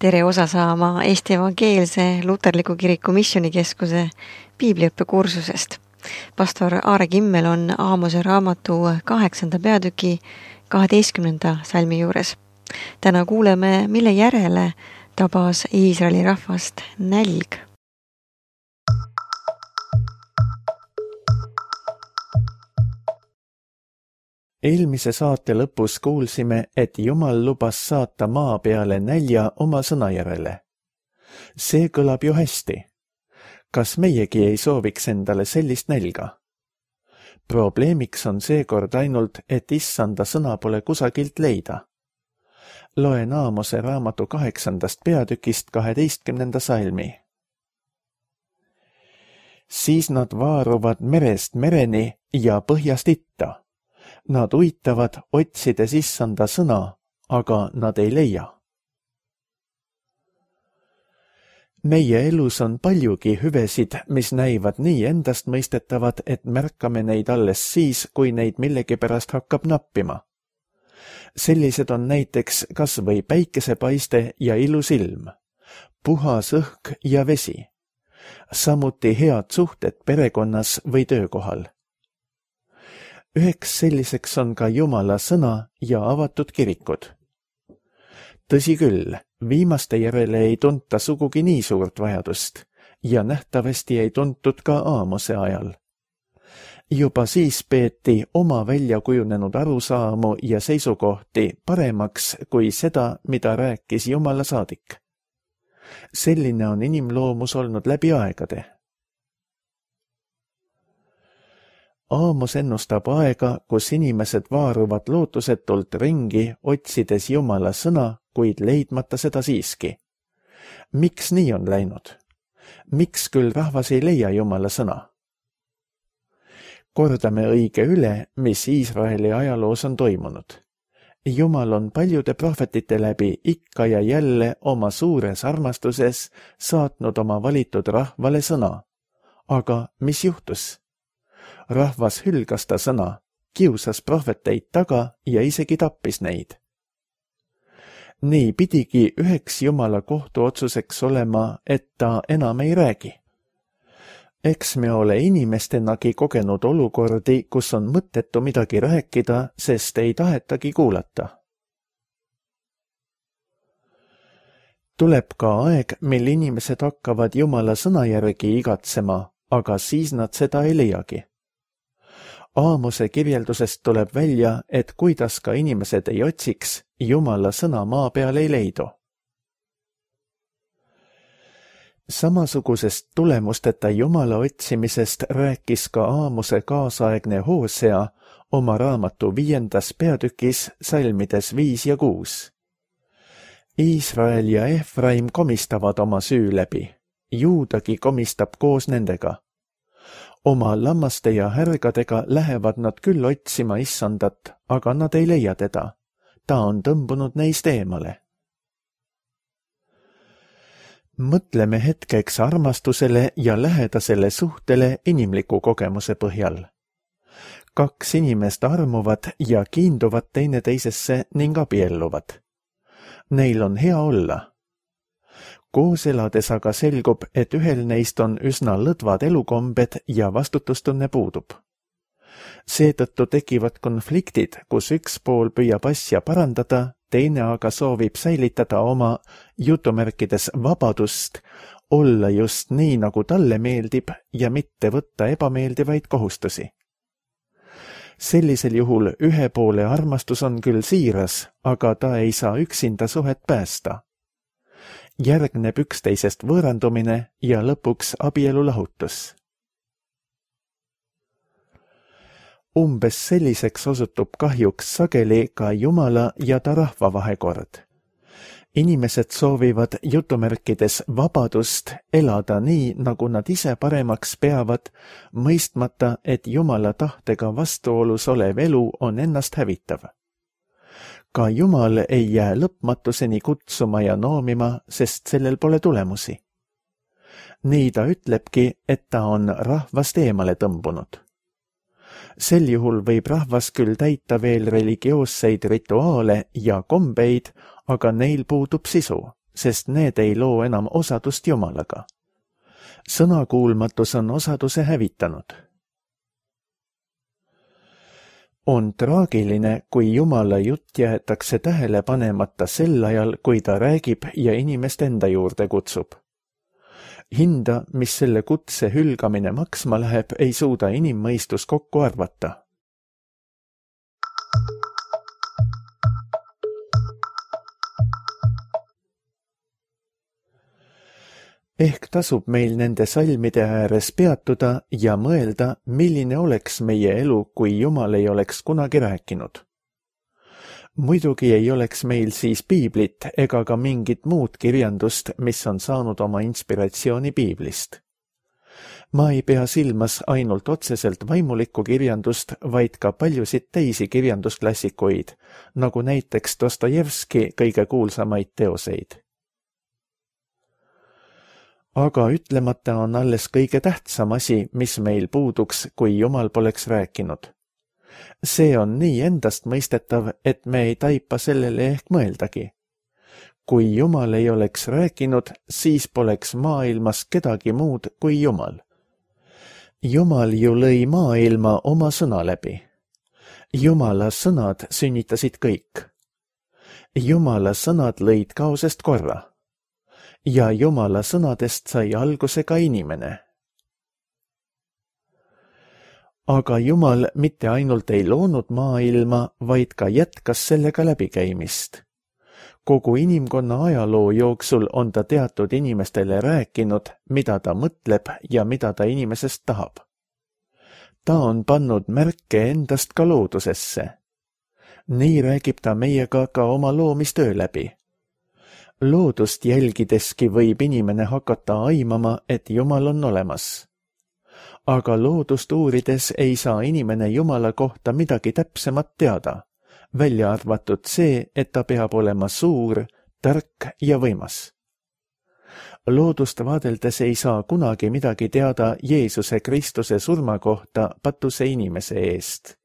Tere osa saama Eesti Evangeelse Luterliku Kiriku Missioonikeskuse piibliõppekursusest. Pastor Aare Kimmel on Aamose raamatu 8. peatüki 12. salmi juures. Täna kuuleme, mille järele tabas Iisraeli rahvast nälg. Eelmise saate lõpus kuulsime, et Jumal lubas saata maa peale nälja oma sõna järele. See kõlab ju hästi. Kas meiegi ei sooviks endale sellist nälga? Probleemiks on seekord ainult, et issanda sõna pole kusagilt leida. Loen Aamose raamatu 8. peatükist 12. salmi. Siis nad vaaruvad merest mereni ja põhjast itta. Nad uitavad, otsides issanda sõna, aga nad ei leia. Meie elus on paljugi hüvesid, mis näivad nii endast mõistetavad, et märkame neid alles siis, kui neid millegipärast hakkab nappima. Sellised on näiteks kas või päikesepaiste ja ilus ilm, puhas õhk ja vesi, samuti head suhted perekonnas või töökohal. Üheks selliseks on ka Jumala sõna ja avatud kirikud. Tõsi küll, viimaste järele ei tunta sugugi nii suurt vajadust ja nähtavasti ei tuntud ka Aamose ajal. Juba siis peeti oma välja kujunenud arusaamu ja seisukohti paremaks kui seda, mida rääkis Jumala saadik. Selline on inimloomus olnud läbi aegade. Aamos ennustab aega, kus inimesed vaaruvad lootusetult ringi, otsides Jumala sõna, kuid leidmata seda siiski. Miks nii on läinud? Miks küll rahvas ei leia Jumala sõna? Kordame õige üle, mis Iisraeli ajaloos on toimunud. Jumal on paljude prohvetite läbi ikka ja jälle oma suures armastuses saatnud oma valitud rahvale sõna. Aga mis juhtus? Rahvas hülgas ta sõna, kiusas prohveteid taga ja isegi tappis neid. Nii pidigi üheks Jumala kohtuotsuseks olema, et ta enam ei räägi. Eks me ole inimestenagi kogenud olukordi, kus on mõttetu midagi rääkida, sest ei tahetagi kuulata. Tuleb ka aeg, mil inimesed hakkavad Jumala sõna järgi igatsema, aga siis nad seda ei leiagi. Aamose kirjeldusest tuleb välja, et kuidas ka inimesed ei otsiks, Jumala sõna maa peal ei leidu. Samasugusest tulemusteta Jumala otsimisest rääkis ka Aamose kaasaegne Hosea oma raamatu 5. peatükis salmides 5 ja 6. Iisrael ja Efraim komistavad oma süü läbi, Juudagi komistab koos nendega. Oma lammaste ja härgadega lähevad nad küll otsima issandat, aga nad ei leia teda. Ta on tõmbunud neist eemale. Mõtleme hetkeks armastusele ja lähedasele suhtele inimliku kogemuse põhjal. 2 inimest armuvad ja kiinduvad teineteisesse ning abielluvad. Neil on hea olla. Koos elades aga selgub, et ühel neist on üsna lõdvad elukombed ja vastutustunne puudub. Seetõttu tekivad konfliktid, kus üks pool püüab asja parandada, teine aga soovib säilitada oma jutumärkides vabadust, olla just nii, nagu talle meeldib ja mitte võtta ebameeldivaid kohustusi. Sellisel juhul ühe poole armastus on küll siiras, aga ta ei saa üksinda suhet päästa. Järgneb üksteisest võõrandumine ja lõpuks abielulahutus. Umbes selliseks osutub kahjuks sageli ka Jumala ja ta rahva vahekord. Inimesed soovivad jutumärkides vabadust elada nii, nagu nad ise paremaks peavad, mõistmata, et Jumala tahtega vastuolus olev elu on ennast hävitav. Ka Jumal ei jää lõpmatuseni kutsuma ja noomima, sest sellel pole tulemusi. Nii ta ütlebki, et ta on rahvast eemale tõmbunud. Sel juhul võib rahvas küll täita veel religioosseid rituaale ja kombeid, aga neil puudub sisu, sest need ei loo enam osadust Jumalaga. Sõnakuulmatus on osaduse hävitanud. On traagiline, kui Jumala jutt jäetakse tähele panemata sel ajal, kui ta räägib ja inimest enda juurde kutsub. Hinda, mis selle kutse hülgamine maksma läheb, ei suuda inimmõistus kokku arvata. Ehk tasub meil nende salmide ääres peatuda ja mõelda, milline oleks meie elu, kui Jumal ei oleks kunagi rääkinud. Muidugi ei oleks meil siis piiblit ega ka mingit muud kirjandust, mis on saanud oma inspiratsiooni piiblist. Ma ei pea silmas ainult otseselt vaimulikku kirjandust, vaid ka paljusid teisi kirjandusklassikuid, nagu näiteks Dostojevski kõige kuulsamaid teoseid. Aga ütlemata on alles kõige tähtsam asi, mis meil puuduks, kui Jumal poleks rääkinud. See on nii endastmõistetav, et me ei taipa sellele ehk mõeldagi. Kui Jumal ei oleks rääkinud, siis poleks maailmas kedagi muud kui Jumal. Jumal ju lõi maailma oma sõna läbi. Jumala sõnad sünnitasid kõik. Jumala sõnad lõid kaosest korra. Ja Jumala sõnadest sai alguse ka inimene. Aga Jumal mitte ainult ei loonud maailma, vaid ka jätkas sellega läbikäimist. Kogu inimkonna ajaloo jooksul on ta teatud inimestele rääkinud, mida ta mõtleb ja mida ta inimesest tahab. Ta on pannud märke endast ka loodusesse. Nii räägib ta meiega ka oma loomistöö läbi. Loodust jälgideski võib inimene hakata aimama, et Jumal on olemas. Aga loodust uurides ei saa inimene Jumala kohta midagi täpsemat teada, välja arvatud see, et ta peab olema suur, tark ja võimas. Loodust vaadeldes ei saa kunagi midagi teada Jeesuse Kristuse surma kohta patuse inimese eest.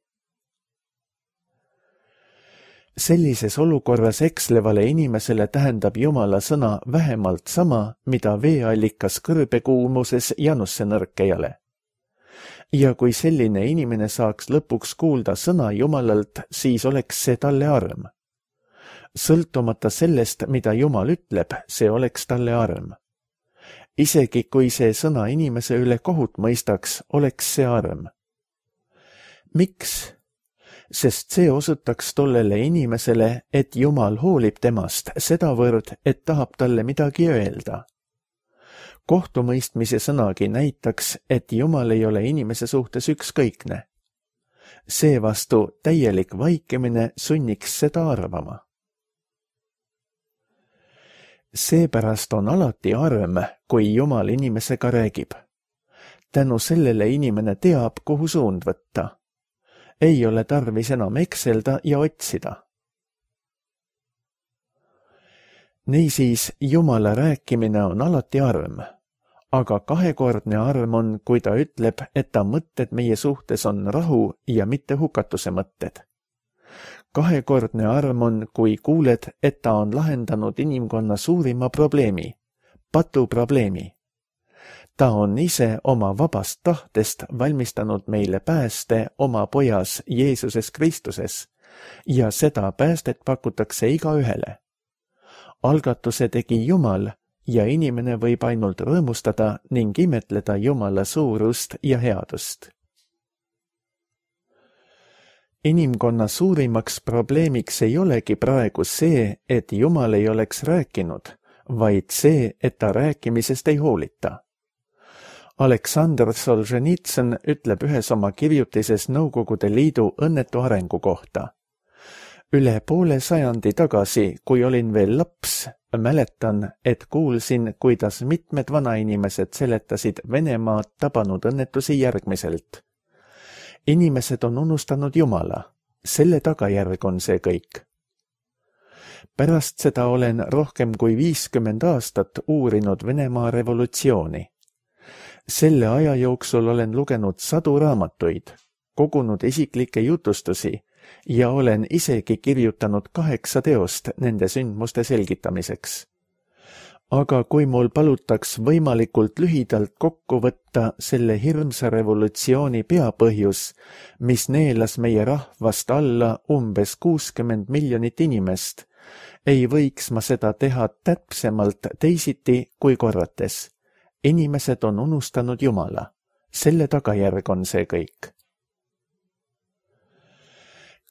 Sellises olukorras ekslevale inimesele tähendab Jumala sõna vähemalt sama, mida veeallikas kõrbekuumuses janusse nõrkejale. Ja kui selline inimene saaks lõpuks kuulda sõna Jumalalt, siis oleks see talle arm. Sõltumata sellest, mida Jumal ütleb, see oleks talle arm. Isegi kui see sõna inimese üle kohut mõistaks, oleks see arm. Miks? Sest see osutaks tollele inimesele, et Jumal hoolib temast sedavõrd, et tahab talle midagi öelda. Kohtumõistmise sõnagi näitaks, et Jumal ei ole inimese suhtes ükskõikne. Seevastu täielik vaikimine sunniks seda arvama. Seepärast on alati arm, kui Jumal inimesega räägib. Tänu sellele inimene teab, kuhu suund võtta. Ei ole tarvis enam ekselda ja otsida. Niisiis, Jumala rääkimine on alati arm, aga kahekordne arm on, kui ta ütleb, et ta mõtted meie suhtes on rahu ja mitte hukatuse mõtted. Kahekordne arm on, kui kuuled, et ta on lahendanud inimkonna suurima probleemi, patuprobleemi. Ta on ise oma vabast tahtest valmistanud meile pääste oma pojas Jeesuses Kristuses ja seda päästet pakutakse igaühele. Algatuse tegi Jumal ja inimene võib ainult rõõmustada ning imetleda Jumala suurust ja headust. Inimkonna suurimaks probleemiks ei olegi praegu see, et Jumal ei oleks rääkinud, vaid see, et ta rääkimisest ei hoolita. Aleksandr Solženitsõn ütleb ühes oma kirjutises Nõukogude Liidu õnnetu arengu kohta. Üle poole sajandi tagasi, kui olin veel laps, mäletan, et kuulsin, kuidas mitmed vanainimesed seletasid Venemaad tabanud õnnetusi järgmiselt. Inimesed on unustanud Jumala. Selle tagajärg on see kõik. Pärast seda olen rohkem kui 50 aastat uurinud Venemaa revolutsiooni. Selle aja jooksul olen lugenud sadu raamatuid, kogunud isiklikke jutustusi ja olen isegi kirjutanud 8 teost nende sündmuste selgitamiseks. aga kui mul palutaks võimalikult lühidalt kokku võtta selle hirmsa revolutsiooni peapõhjus, mis neelas meie rahvast alla umbes 60 miljonit inimest, ei võiks ma seda teha täpsemalt teisiti kui korrates. Inimesed on unustanud Jumala. Selle tagajärg on see kõik.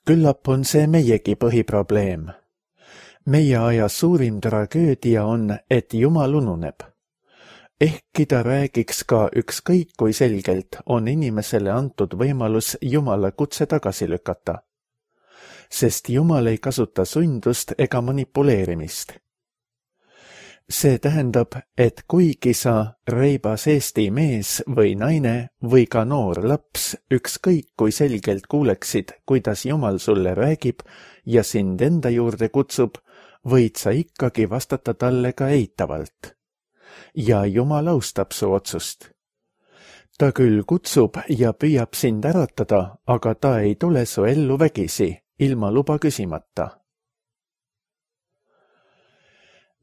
Küllap on see meiegi põhiprobleem. Meie aja suurim tragöödia on, et Jumal ununeb. Ehkki ta räägiks ka ükskõik kui selgelt, on inimesele antud võimalus Jumala kutse tagasi lükata. Sest Jumal ei kasuta sundust ega manipuleerimist. See tähendab, et kuigi sa reibas Eesti mees või naine või ka noor laps ükskõik kui selgelt kuuleksid, kuidas Jumal sulle räägib ja sind enda juurde kutsub, võid sa ikkagi vastata talle ka eitavalt. Ja Jumal austab su otsust. Ta küll kutsub ja püüab sind äratada, aga ta ei tule su ellu vägisi, ilma luba küsimata.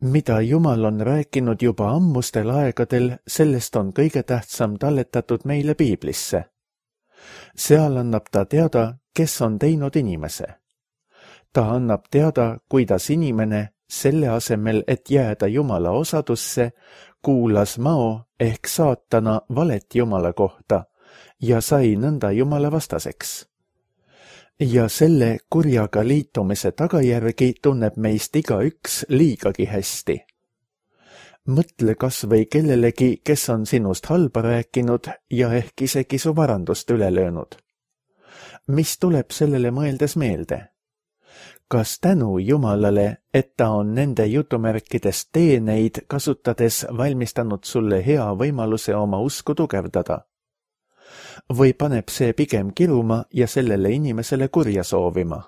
Mida Jumal on rääkinud juba ammustel aegadel, sellest on kõige tähtsam talletatud meile Piiblisse. Seal annab ta teada, kes on teinud inimese. Ta annab teada, kuidas inimene, selle asemel, et jääda Jumala osadusse, kuulas mao ehk saatana valet Jumala kohta ja sai nõnda Jumala vastaseks. Ja selle kurjaga liitumise tagajärgi tunneb meist igaüks liigagi hästi. Mõtle kas või kellelegi, kes on sinust halba rääkinud ja ehk isegi su varandust üle löönud. Mis tuleb sellele mõeldes meelde? Kas tänu Jumalale, et ta on nende jutumärkides teeneid kasutades valmistanud sulle hea võimaluse oma usku tugevdada? Või paneb see pigem kiruma ja sellele inimesele kurja soovima?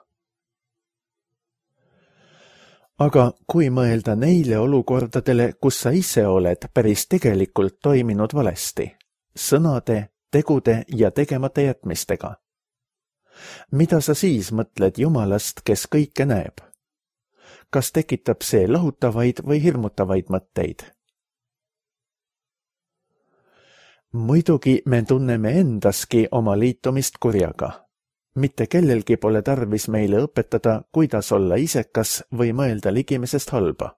Aga kui mõelda neile olukordadele, kus sa ise oled päris tegelikult toiminud valesti, sõnade, tegude ja tegemata jätmistega? Mida sa siis mõtled Jumalast, kes kõike näeb? Kas tekitab see lahutavaid või hirmutavaid mõtteid? Muidugi me tunneme endaski oma liitumist kurjaga. Mitte kellelgi pole tarvis meile õpetada, kuidas olla isekas või mõelda ligimesest halba.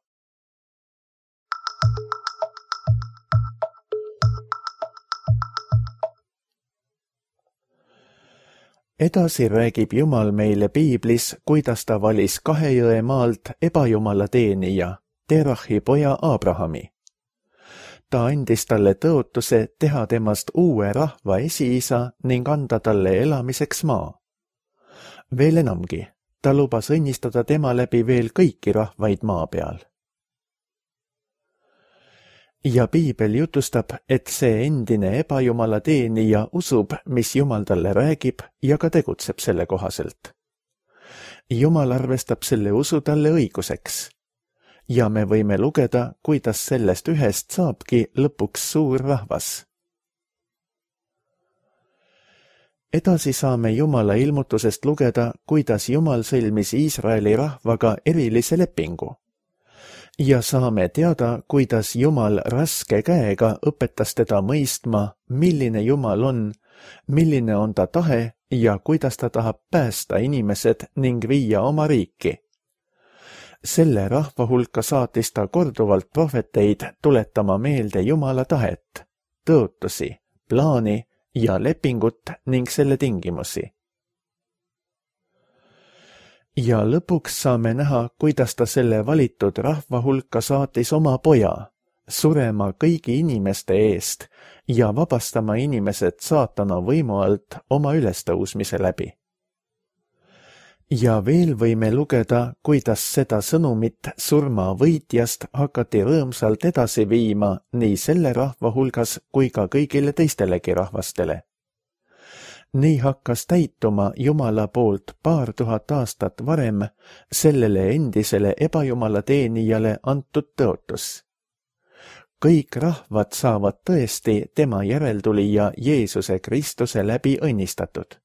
Edasi räägib Jumal meile Piiblis, kuidas ta valis Kahejõe maalt ebajumala teenija, Terahi poja Abrahami. Ta andis talle tõotuse teha temast uue rahva esiisa ning anda talle elamiseks maa. Veel enamgi, ta lubas õnnistada tema läbi veel kõiki rahvaid maa peal. Ja Piibel jutustab, et see endine ebajumala teenija usub, mis Jumal talle räägib ja ka tegutseb selle kohaselt. Jumal arvestab selle usu talle õiguseks. Ja me võime lugeda, kuidas sellest ühest saabki lõpuks suur rahvas. Edasi saame Jumala ilmutusest lugeda, kuidas Jumal sõlmis Iisraeli rahvaga erilise lepingu. Ja saame teada, kuidas Jumal raske käega õpetas teda mõistma, milline Jumal on, milline on ta tahe ja kuidas ta tahab päästa inimesed ning viia oma riiki. Selle rahva hulka saatis ta korduvalt prohveteid tuletama meelde Jumala tahet, tõotusi, plaani ja lepingut ning selle tingimusi. Ja lõpuks saame näha, kuidas ta selle valitud rahva hulka saatis oma poja, surema kõigi inimeste eest ja vabastama inimesed saatana võimu alt oma ülestõusmise läbi. Ja veel võime lugeda, kuidas seda sõnumit surma võitjast hakati rõõmsalt edasi viima nii selle rahva hulgas kui ka kõigile teistelegi rahvastele. Nii hakkas täituma Jumala poolt 2000 aastat varem sellele endisele ebajumala teenijale antud tõotus. Kõik rahvad saavad tõesti tema järeltulija Jeesuse Kristuse läbi õnnistatud.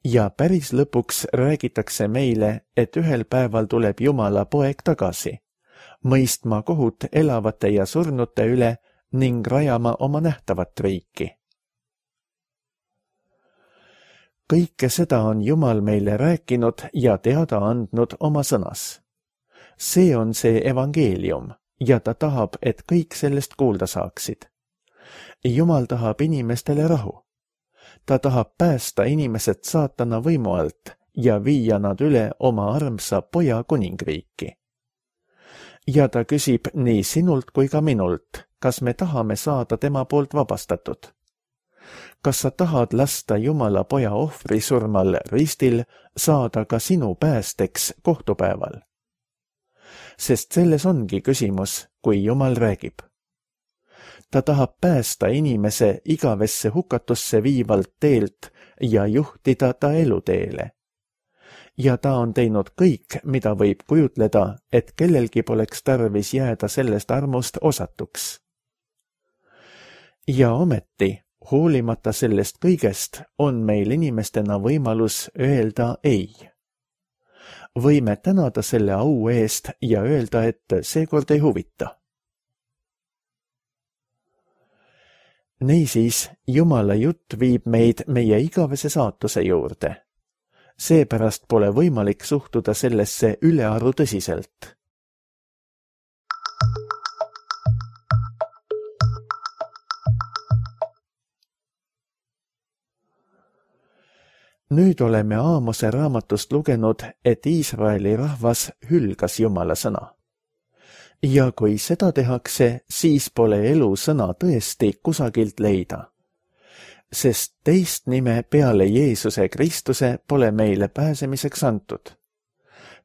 Ja päris lõpuks räägitakse meile, et ühel päeval tuleb Jumala poeg tagasi. mõistma kohut elavate ja surnute üle ning rajama oma nähtavat riiki. Kõike seda on Jumal meile rääkinud ja teada andnud oma sõnas. See on see evangeelium ja ta tahab, et kõik sellest kuulda saaksid. Jumal tahab inimestele rahu. Ta tahab päästa inimesed saatana võimu alt ja viia nad üle oma armsa poja kuningriiki. Ja ta küsib nii sinult kui ka minult, kas me tahame saada tema poolt vabastatud. Kas sa tahad lasta Jumala poja ohvri surmal ristil saada ka sinu päästeks kohtupäeval? Sest selles ongi küsimus, kui Jumal räägib. Ta tahab päästa inimese igavesse hukatusse viivalt teelt ja juhtida ta eluteele. Ja ta on teinud kõik, mida võib kujutleda, et kellelgi poleks tarvis jääda sellest armust osatuks. Ja ometi, hoolimata sellest kõigest, on meil inimestena võimalus öelda ei. Võime tänada selle au eest ja öelda, et seekord ei huvita. Niisiis, Jumala jutt viib meid meie igavese saatuse juurde. Seepärast pole võimalik suhtuda sellesse ülearu tõsiselt. Nüüd oleme Aamose raamatust lugenud, et Iisraeli rahvas hülgas Jumala sõna. Ja kui seda tehakse, siis pole elu sõna tõesti kusagilt leida. Sest teist nime peale Jeesuse Kristuse pole meile pääsemiseks antud.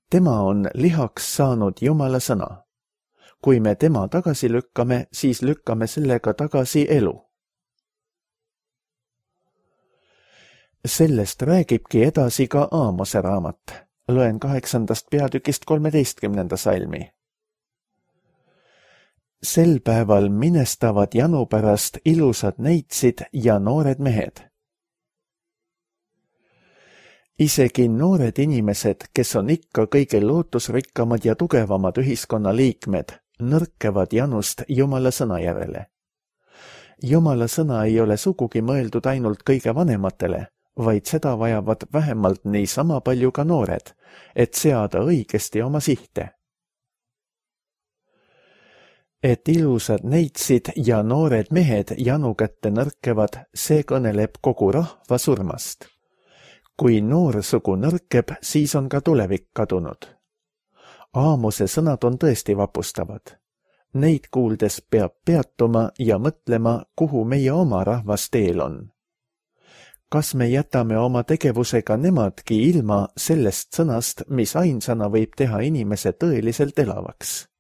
Tema on lihaks saanud Jumala sõna. Kui me tema tagasi lükkame, siis lükkame sellega tagasi elu. Sellest räägibki edasi ka Aamose raamat. Loen 8. peatükist 13. salmi. Sel päeval minestavad janu pärast ilusad neitsid ja noored mehed. Isegi noored inimesed, kes on ikka kõige lootusrikkamad ja tugevamad ühiskonna liikmed, nõrkevad janust Jumala sõna järele. Jumala sõna ei ole sugugi mõeldud ainult kõige vanematele, vaid seda vajavad vähemalt niisama palju ka noored, et seada õigesti oma sihte. Et ilusad neitsid ja noored mehed janu kätte nõrkevad, see kõneleb kogu rahva surmast. Kui noorsugu nõrkeb, siis on ka tulevik kadunud. Aamose sõnad on tõesti vapustavad. Neid kuuldes peab peatuma ja mõtlema, kuhu meie oma rahvas teel on. Kas me jätame oma tegevusega nemadki ilma sellest sõnast, mis ainsana võib teha inimese tõeliselt elavaks?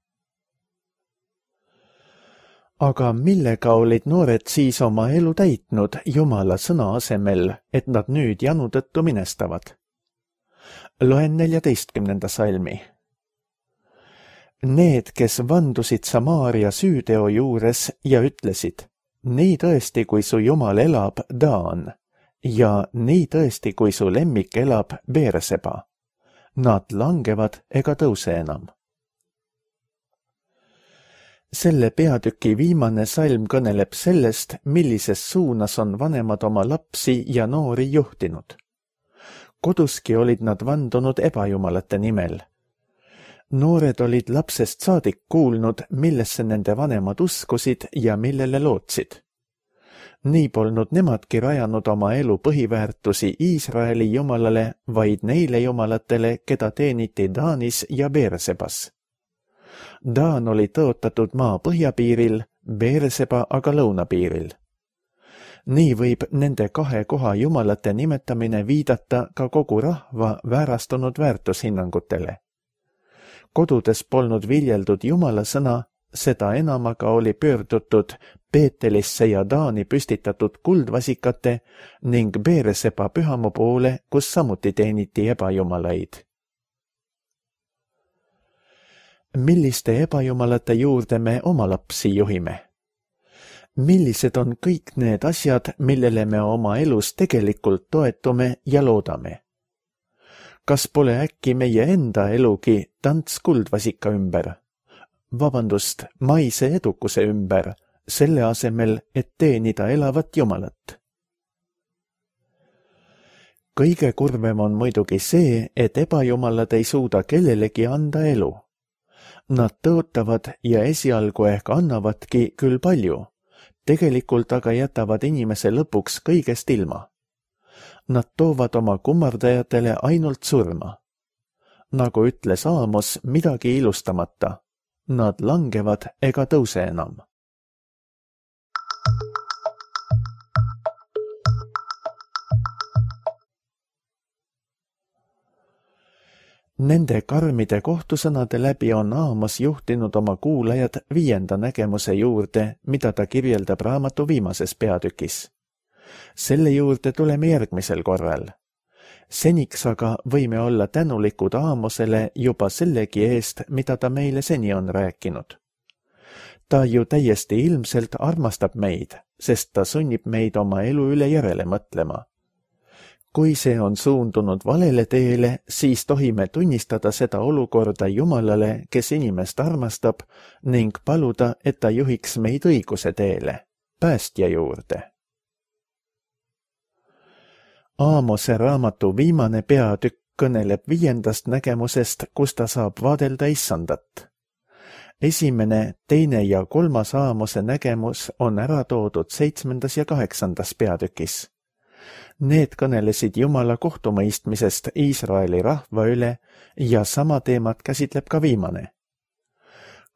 Aga millega olid noored siis oma elu täitnud Jumala sõna asemel, et nad nüüd janu tõttu minestavad? Loen 14. salmi. Need, kes vandusid Samaaria süüteo juures ja ütlesid, nii tõesti, kui su Jumal elab, Daan, ja nii tõesti, kui su lemmik elab, Beerseba. Nad langevad ega tõuse enam. Selle peatüki viimane salm kõneleb sellest, millises suunas on vanemad oma lapsi ja noori juhtinud. Koduski olid nad vandunud ebajumalate nimel. Noored olid lapsest saadik kuulnud, millesse nende vanemad uskusid ja millele lootsid. Nii polnud nemadki rajanud oma elu põhiväärtusi Iisraeli jumalale, vaid neile jumalatele, keda teeniti Daanis ja Beersebas. Daan oli tõotatud maa põhjapiiril, Beerseba aga lõunapiiril. Nii võib nende kahe koha jumalate nimetamine viidata ka kogu rahva väärastunud väärtushinnangutele. Kodudes polnud viljeldud Jumala sõna, seda enam aga oli pöördutud Peetelisse ja Daani püstitatud kuldvasikate ning Beerseba pühamu poole, kus samuti teeniti ebajumalaid. Milliste ebajumalate juurde me oma lapsi juhime? Millised on kõik need asjad, millele me oma elus tegelikult toetume ja loodame? Kas pole äkki meie enda elugi tants kuldvasika ümber? maise edukuse ümber, selle asemel, et teenida elavat Jumalat. Kõige kurvem on muidugi see, et ebajumalad ei suuda kellelegi anda elu. Nad tõotavad ja esialgu ehk annavadki küll palju, tegelikult aga jätavad inimese lõpuks kõigest ilma. Nad toovad oma kummardajatele ainult surma. Nagu ütles Aamos midagi ilustamata, nad langevad ega tõuse enam. Nende karmide kohtusõnade läbi on Aamos juhtinud oma kuulajad 5. nägemuse juurde, mida ta kirjeldab raamatu viimases peatükis. Selle juurde tuleme järgmisel korral. Seniks aga võime olla tänulikud Aamosele juba sellegi eest, mida ta meile seni on rääkinud. Ta ju täiesti ilmselt armastab meid, sest ta sunnib meid oma elu üle järele mõtlema. Kui see on suundunud valele teele, siis tohime tunnistada seda olukorda Jumalale, kes inimest armastab, ning paluda, et ta juhiks meid õiguse teele, päästja juurde. Aamose raamatu viimane peatükk kõneleb 5. nägemusest, kus ta saab vaadelda Issandat. 1., 2. ja 3. Aamose nägemus on ära toodud 7. ja 8. peatükis. Need kõnelesid Jumala kohtumõistmisest Iisraeli rahva üle ja sama teemat käsitleb ka viimane.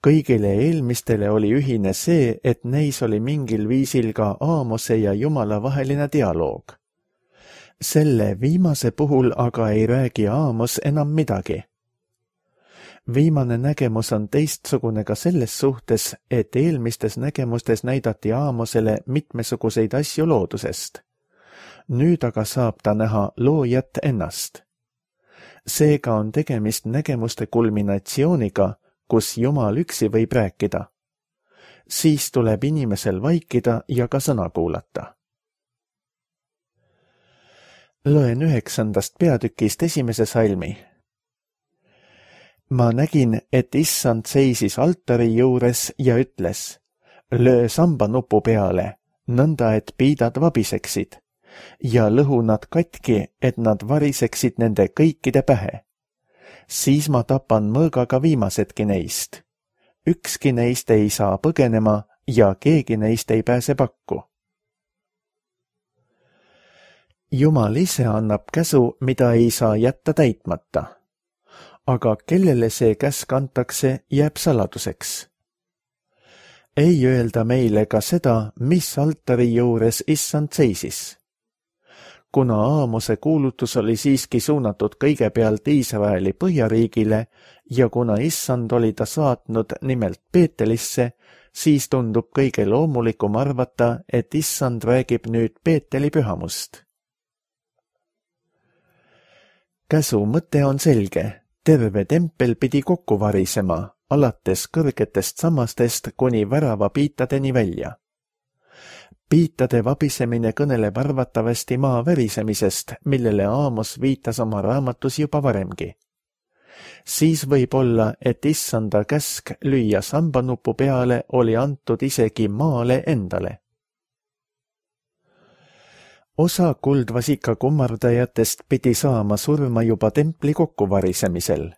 Kõigile eelmistele oli ühine see, et neis oli mingil viisil ka Aamose ja Jumala vaheline dialoog. Selle viimase puhul aga ei räägi Aamos enam midagi. Viimane nägemus on teistsugune ka selles suhtes, et eelmistes nägemustes näidati Aamosele mitmesuguseid asju loodusest. Nüüd aga saab ta näha loojat ennast. Seega on tegemist nägemuste kulminatsiooniga, kus Jumal üksi võib rääkida. Siis tuleb inimesel vaikida ja ka sõna kuulata. Loen 9. peatükist 1. salmi. Ma nägin, et Issand seisis altari juures ja ütles, löö sambanupu peale, nõnda et piidad vabiseksid, ja lõhu nad katki, et nad variseksid nende kõikide pähe. Siis ma tapan mõõgaga viimasedki neist. Ükski neist ei saa põgenema ja keegi neist ei pääse pakku. Jumal ise annab käsu, mida ei saa jätta täitmata. Aga kellele see käsk antakse, jääb saladuseks. Ei öelda meile ka seda, mis altari juures Issand seisis. Kuna Aamose kuulutus oli siiski suunatud kõigepealt Iisraeli põhjariigile ja kuna Issand oli ta saatnud nimelt Peetelisse, siis tundub kõige loomulikum arvata, et Issand räägib nüüd Peeteli pühamust. Käsu mõte on selge, terve tempel pidi kokku varisema, alates kõrgetest sammastest kuni värava piitadeni välja. Piitade vabisemine kõneleb arvatavasti maa värisemisest, millele Aamos viitas oma raamatus juba varemgi. Siis võib olla, et Issanda käsk lüüa sambanupu peale oli antud isegi maale endale. Osa kuldvasika kummardajatest pidi saama surma juba templi kokkuvarisemisel.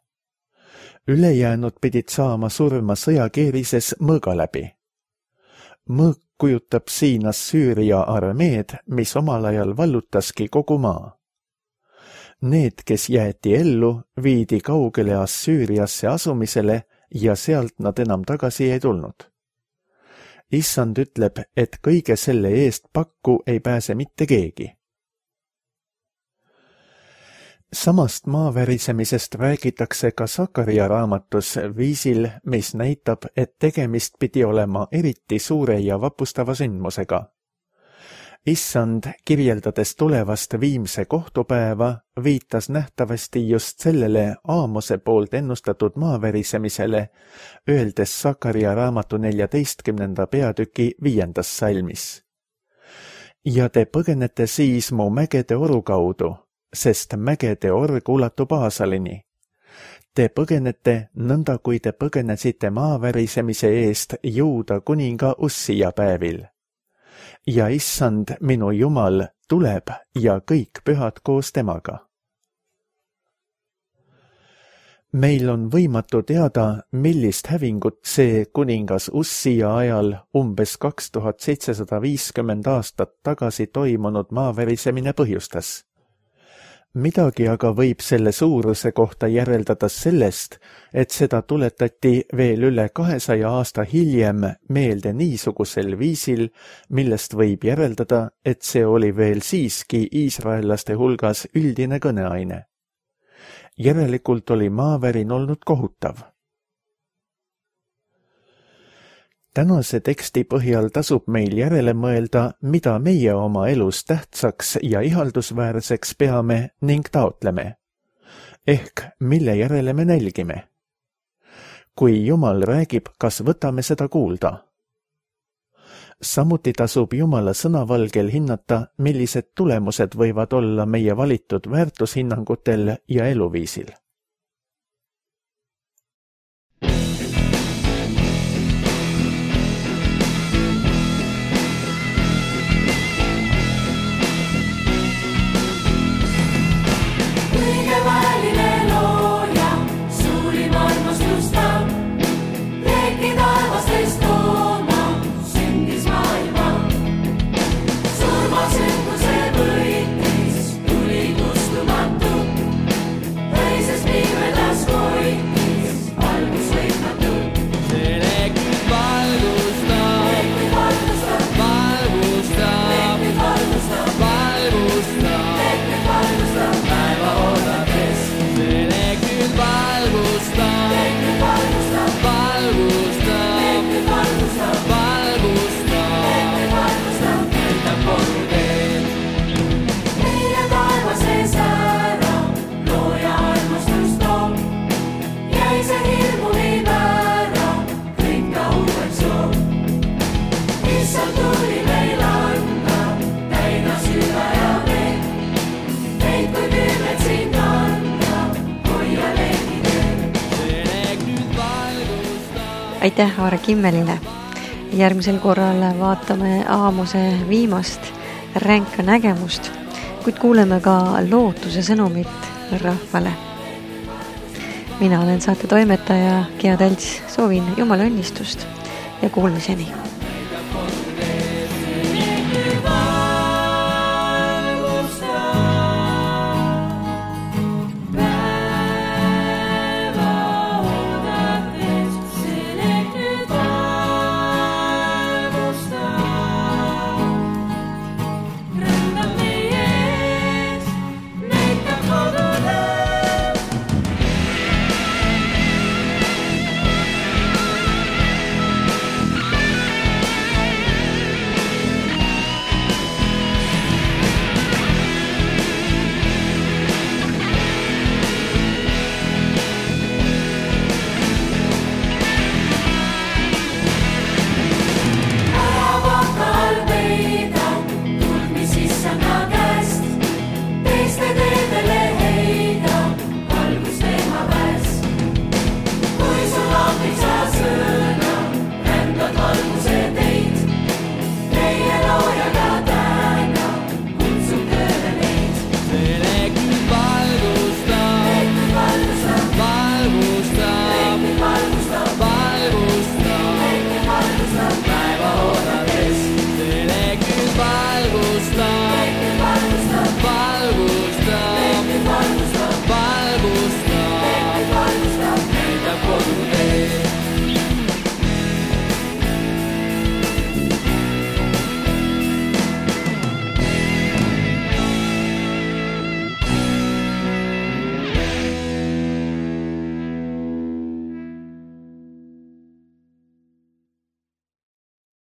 Ülejäänud pidid saama surma sõjakeerises mõõga läbi. Mõõk kujutab siin Assüüria armeed, mis omal ajal vallutaski kogu maa. Need, kes jäeti ellu, viidi kaugele Assüüriasse asumisele ja sealt nad enam tagasi ei tulnud. Issand ütleb, et kõige selle eest pakku ei pääse mitte keegi. Samast maavärisemisest räägitakse ka Sakaria raamatus viisil, mis näitab, et tegemist pidi olema eriti suure ja vapustava sündmusega. Issand, kirjeldades tulevast viimse kohtupäeva, viitas nähtavasti just sellele Aamose poolt ennustatud maavärisemisele, öeldes Sakaria raamatu 14. peatüki 5. salmis. Ja te põgenete siis mu mägede oru kaudu, sest mägede org ulatub Aasalini. Te põgenete nõnda, kui te põgenesite maavärisemise eest Juuda kuninga Ussia päevil. Ja issand, minu Jumal, tuleb ja kõik pühad koos temaga. Meil on võimatu teada, millist hävingut see kuningas Ussia ajal umbes 2750 aastat tagasi toimunud maavärisemine põhjustas. Midagi aga võib selle suuruse kohta järeldada sellest, et seda tuletati veel üle 200 aasta hiljem meelde niisugusel viisil, millest võib järeldada, et see oli veel siiski iisraellaste hulgas üldine kõneaine. Järelikult oli maavärin olnud kohutav. Tänase teksti põhjal tasub meil järele mõelda, mida meie oma elus tähtsaks ja ihaldusväärseks peame ning taotleme. Ehk mille järele me nälgime. Kui Jumal räägib, kas võtame seda kuulda? Samuti tasub Jumala sõnavalgel hinnata, millised tulemused võivad olla meie valitud väärtushinnangutel ja eluviisil. Aitäh Aare Kimmelile. Järgmisel korral vaatame Aamose viimast ränka nägemust, kuid kuuleme ka lootuse sõnumit rahvale. Mina olen saate toimetaja Gea Tälts, soovin Jumala õnnistust ja kuulmiseni.